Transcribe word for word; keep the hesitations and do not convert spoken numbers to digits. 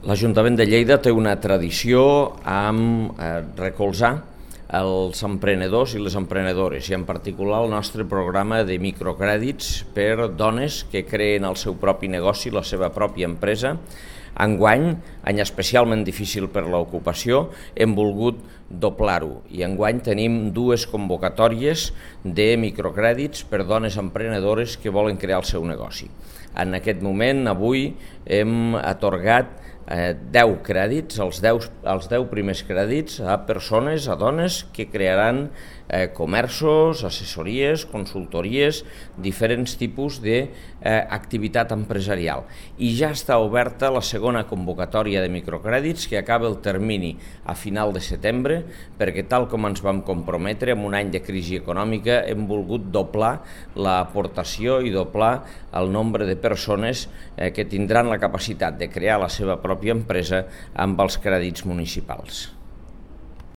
L'Ajuntament de Lleida té una tradició amb eh, recolzar els emprenedors i les emprenedores, i en particular el nostre programa de microcrèdits per dones que creen el seu propi negoci, la seva pròpia empresa. Enguany, any especialment difícil per l'ocupació, hem volgut doblar-ho i enguany tenim dues convocatòries de microcrèdits per dones emprenedores que volen crear el seu negoci. En aquest moment, avui, hem atorgat eh, deu crèdits, els deu, els deu primers crèdits a persones, a dones que crearan eh, comerços, assessories, consultories, diferents tipus d'activitat eh, empresarial. I ja està oberta la segona convocatòria de microcrèdits que acaba el termini a final de setembre, perquè tal com ens vam comprometre en un any de crisi econòmica hem volgut doblar l'aportació i doblar el nombre de persones eh, que tindran la capacitat de crear la seva pròpia empresa amb els crèdits municipals.